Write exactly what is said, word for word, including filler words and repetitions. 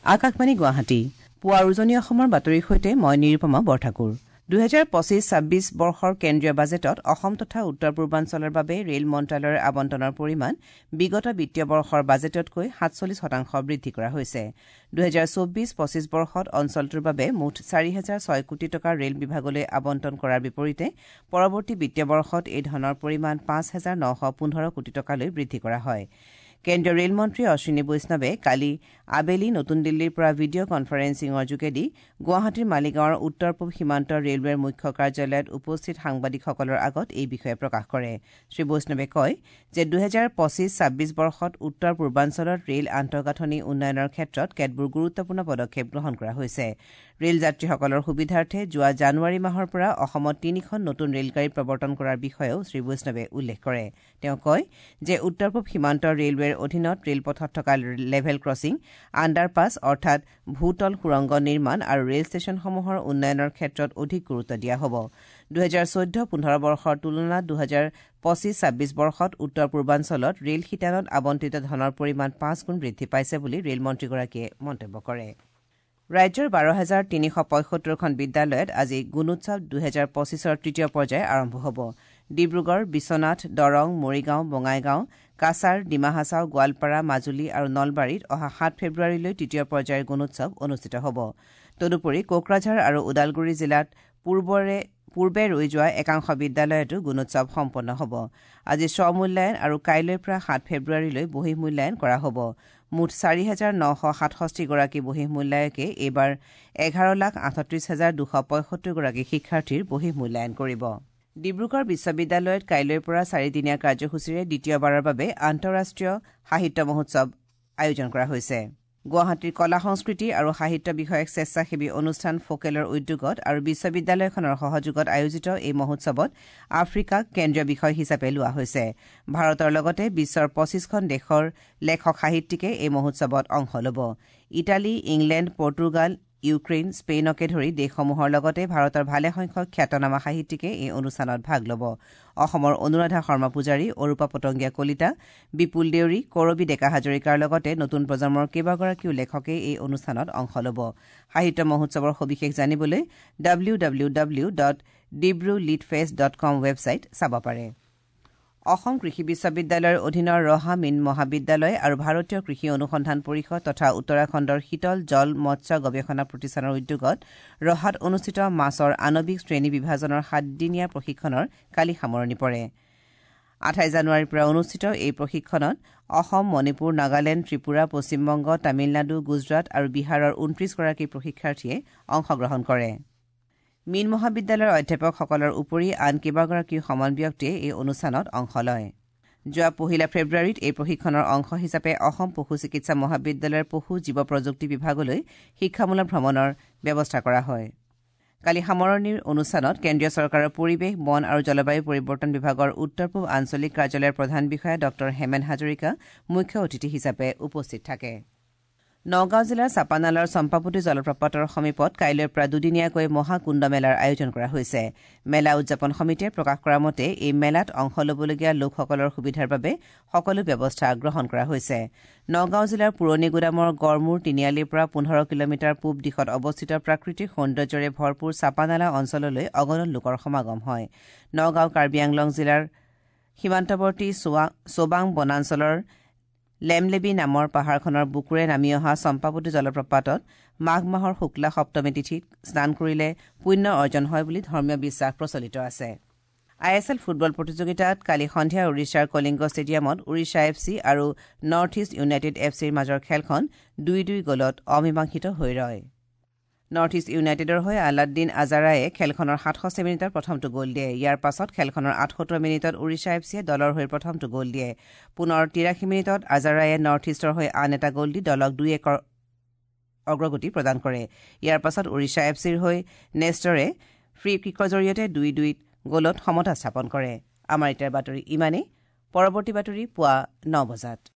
আকাশবাণী গুৱাহাটী পুৱাৰ উজনি অসমৰ বাতৰিৰ সৈতে মই নিৰুপমা বৰঠাকুৰ দুহেজাৰ পঁচিছ ছাব্বিছ বৰ্ষৰ কেন্দ্ৰীয় বাজেটত অসম তথা উত্তৰ পূৰ্বাঞ্চলৰ বাবে ৰেল মন্ত্ৰালয়ৰ আবণ্টনৰ পৰিমাণ বিগত বিত্তীয় বৰ্ষৰ বাজেটতকৈ সাতচল্লিছ শতাংশ বৃদ্ধি কৰা হৈছে দুহেজাৰ চৌব্বিছ পঁচিছ বৰ্ষত অঞ্চলটোৰ বাবে মুঠ চাৰি হাজাৰ ছয় কোটি টকা ৰেল বিভাগলৈ আবণ্টন কৰাৰ বিপৰীতে পৰৱৰ্তী বিত্তীয় বৰ্ষত এই ধনৰ পৰিমাণ পাঁচ হাজাৰ নশ পোন্ধৰ কোটি টকালৈ বৃদ্ধি কৰা হয় কেন্দ্ৰীয় ৰেল মন্ত্ৰী অশ্বিনী বৈষ্ণৱে কালি আবেলি নতুন দিল্লীৰ পৰা ভিডিঅ কনফাৰেন্সিঙৰ যোগেদি গুৱাহাটীৰ মালিগাঁৱৰ উত্তৰ পূব সীমান্ত ৰেলৱেৰ মুখ্য কাৰ্যালয়ত উপস্থিত সাংবাদিকসকলৰ আগত এই বিষয়ে প্ৰকাশ কৰে শ্ৰী বৈষ্ণৱে কয় যে দুহেজাৰ পঁচিছ ছাব্বিছ বৰ্ষত উত্তৰ পূৰ্বাঞ্চলত ৰেল আন্তঃগাঁথনি উন্নয়নৰ ক্ষেত্ৰত কেতবোৰ গুৰুত্বপূৰ্ণ পদক্ষেপ গ্ৰহণ কৰা হৈছে ৰেল যাত্ৰীসকলৰ সুবিধাৰ্থে যোৱা জানুৱাৰী মাহৰ পৰা অসমত তিনিখন নতুন ৰেলগাড়ী প্ৰৱৰ্তন কৰাৰ বিষয়েও শ্ৰী বৈষ্ণৱে উল্লেখ কৰে তেওঁ কয় যে উত্তৰ পূব সীমান্ত ৰেলৱেৰ অধীনত ৰেলপথত থকা লেভেল ক্ৰছিং আণ্ডাৰপাছ অৰ্থাৎ ভূতল সুৰংগ নিৰ্মাণ আৰু ৰেল ষ্টেচনসমূহৰ উন্নয়নৰ ক্ষেত্ৰত অধিক গুৰুত্ব দিয়া হ'ব দুহেজাৰ চৈধ্য পোন্ধৰ বৰ্ষৰ তুলনাত দুহেজাৰ পঁচিছ ছাব্বিছ বৰ্ষত উত্তৰ পূৰ্বাঞ্চলত ৰেল শিতানত আবণ্টিত ধনৰ পৰিমাণ পাঁচ গুণ বৃদ্ধি পাইছে বুলি ৰেল মন্ত্ৰীগৰাকীয়ে মন্তব্য কৰে ৰাজ্যৰ বাৰ হাজাৰ তিনিশ পঁয়সত্তৰখন বিদ্যালয়ত আজি গুণোৎসৱ দুহেজাৰ পঁচিছৰ তৃতীয় পৰ্যায় আৰম্ভ হ'ব ডিব্ৰুগড় বিশ্বনাথ দৰং মৰিগাঁও বঙাইগাঁও কাছাৰ ডিমা হাছাও গোৱালপাৰা মাজুলী আৰু নলবাৰীত অহা সাত ফেব্ৰুৱাৰীলৈ তৃতীয় পৰ্যায়ৰ গুণোৎসৱ অনুষ্ঠিত হ'ব তদুপৰি কোকৰাঝাৰ আৰু ওদালগুৰি জিলাত পূৰ্বৰে পূৰ্বে ৰৈ যোৱা একাংশ বিদ্যালয়তো গুণোৎসৱ সম্পন্ন হ'ব আজি স্বমূল্যায়ন আৰু কাইলৈৰ পৰা সাত ফেব্ৰুৱাৰীলৈ বহিঃমূল্যায়ন কৰা হ'ব মুঠ চাৰি হাজাৰ নশ সাতষষ্ঠিগৰাকী বহিঃমূল্যায়কে এইবাৰ এঘাৰ লাখ আঠত্ৰিছ হাজাৰ দুশ পঁয়সত্তৰগৰাকী শিক্ষাৰ্থীৰ বহিঃমূল্যায়ন কৰিব ডিব্ৰুগড় বিশ্ববিদ্যালয়ত কাইলৈৰ পৰা চাৰিদিনীয়া কাৰ্যসূচীৰে দ্বিতীয়বাৰৰ বাবে আন্তঃৰাষ্ট্ৰীয় সাহিত্য মহোৎসৱ আয়োজন কৰা হৈছে গুৱাহাটীৰ কলা সংস্কৃতি আৰু সাহিত্য বিষয়ক স্বেচ্ছাসেৱী অনুষ্ঠান ফকেলৰ উদ্যোগত আৰু বিশ্ববিদ্যালয়খনৰ সহযোগত আয়োজিত এই মহোৎসৱত আফ্ৰিকাক কেন্দ্ৰীয় বিষয় হিচাপে লোৱা হৈছে ভাৰতৰ লগতে বিশ্বৰ পঁচিছখন দেশৰ লেখক সাহিত্যিকে এই মহোৎসৱত অংশ ল'ব ইটালী ইংলেণ্ড পৰ্তুগাল ইউক্ৰেইন স্পেইনকে ধৰি দেশসমূহৰ লগতে ভাৰতৰ ভালেসংখ্যক খ্যাতনামা সাহিত্যিকে এই অনুষ্ঠানত ভাগ ল'ব অসমৰ অনুৰাধা শৰ্মা পূজাৰী অৰূপা পতংগীয়া কলিতা বিপুল দেউৰী কৰবী ডেকা হাজৰিকাৰ লগতে নতুন প্ৰজন্মৰ কেইবাগৰাকীও লেখকে এই অনুষ্ঠানত অংশ ল'ব সাহিত্য মহোৎসৱৰ সবিশেষ জানিবলৈ W W W dot Dibru lit fest dot com website চাব পাৰে অসম কৃষি বিশ্ববিদ্যালয়ৰ অধীনৰ ৰহা মীন মহাবিদ্যালয় আৰু ভাৰতীয় কৃষি অনুসন্ধান পৰিষদ তথা উত্তৰাখণ্ডৰ শীতল জল মৎস্য গৱেষণা প্ৰতিষ্ঠানৰ উদ্যোগত ৰহাত অনুষ্ঠিত মাছৰ আণৱিক শ্ৰেণী বিভাজনৰ সাতদিনীয়া প্ৰশিক্ষণৰ কালি সামৰণি পৰে আঠাইছ জানুৱাৰীৰ পৰা অনুষ্ঠিত এই প্ৰশিক্ষণত অসম মণিপুৰ নাগালেণ্ড ত্ৰিপুৰা পশ্চিমবংগ তামিলনাডু গুজৰাট আৰু বিহাৰৰ ঊনত্ৰিছগৰাকী প্ৰশিক্ষাৰ্থীয়ে অংশগ্ৰহণ কৰে মীন মহাবিদ্যালয়ৰ অধ্যাপকসকলৰ উপৰি আন কেইবাগৰাকীও সমল ব্যক্তিয়ে এই অনুষ্ঠানত অংশ লয় যোৱা পহিলা ফেব্ৰুৱাৰীত এই প্ৰশিক্ষণৰ অংশ হিচাপে অসম পশু চিকিৎসা মহাবিদ্যালয়ৰ পশু জীৱ প্ৰযুক্তি বিভাগলৈ শিক্ষামূলক ভ্ৰমণৰ ব্যৱস্থা কৰা হয় কালি সামৰণিৰ অনুষ্ঠানত কেন্দ্ৰীয় চৰকাৰৰ পৰিৱেশ বন আৰু জলবায়ু পৰিৱৰ্তন বিভাগৰ উত্তৰ পূব আঞ্চলিক কাৰ্যালয়ৰ প্ৰধান বিষয়া ডঃ হেমেন হাজৰিকা মুখ্য অতিথি হিচাপে উপস্থিত থাকে নগাঁও জিলাৰ চাপানালাৰ চম্পাপতি জলপ্ৰপাতৰ সমীপত কাইলৈৰ পৰা দুদিনীয়াকৈ মহাকুণ্ড মেলাৰ আয়োজন কৰা হৈছে মেলা উদযাপন সমিতিয়ে প্ৰকাশ কৰা মতে এই মেলাত অংশ ল'বলগীয়া লোকসকলৰ সুবিধাৰ বাবে সকলো ব্যৱস্থা গ্ৰহণ কৰা হৈছে নগাঁও জিলাৰ পুৰণি গুদামৰ গড়মূৰ তিনিআলিৰ পৰা পোন্ধৰ কিলোমিটাৰ পূব দিশত অৱস্থিত প্ৰাকৃতিক সৌন্দৰ্যৰে ভৰপূৰ চাপানালা অঞ্চললৈ অগণন লোকৰ সমাগম হয় নগাঁও কাৰ্বি আংলং জিলাৰ সীমান্তৱৰ্তী চোবাং বনাঞ্চলৰ লেমলেবি নামৰ পাহাৰখনৰ বুকুৰে নামি অহা চম্পাৱতী জলপ্ৰপাতত মাঘ মাহৰ শুক্লা সপ্তমী তিথিত স্নান কৰিলে পুণ্য অৰ্জন হয় বুলি ধৰ্মীয় বিশ্বাস প্ৰচলিত আছে I S L football প্ৰতিযোগিতাত কালি সন্ধিয়া ওড়িশাৰ কলিংগ ষ্টেডিয়ামত ওড়িশা এফ চি আৰু নৰ্থ ইষ্ট ইউনাইটেড এফ চিৰ মাজৰ খেলখন দুই দুই গ'লত অমীমাংসিত হৈ ৰয় নৰ্থ ইষ্ট ইউনাইটেডৰ হৈ আলাদ্দিন আজাৰায়ে খেলখনৰ সাতষষ্ঠি মিনিটত প্ৰথমটো গ'ল দিয়ে ইয়াৰ পাছত খেলখনৰ আঠসত্তৰ মিনিটত ওড়িশা এফ চিয়ে দলৰ হৈ প্ৰথমটো গ'ল দিয়ে পুনৰ তিৰাশী মিনিটত আজাৰায়ে নৰ্থ ইষ্টৰ হৈ আন এটা গ'ল দি দলক দুই একৰ অগ্ৰগতি প্ৰদান কৰে ইয়াৰ পাছত ওড়িশা এফ চিৰ হৈ নেষ্টৰে ফ্ৰী কিকৰ জৰিয়তে দুই দুই গ'লত সমতা স্থাপন কৰে আমাৰ এতিয়াৰ বাতৰি ইমানেই পৰৱৰ্তী বাতৰি পুৱা ন বজাত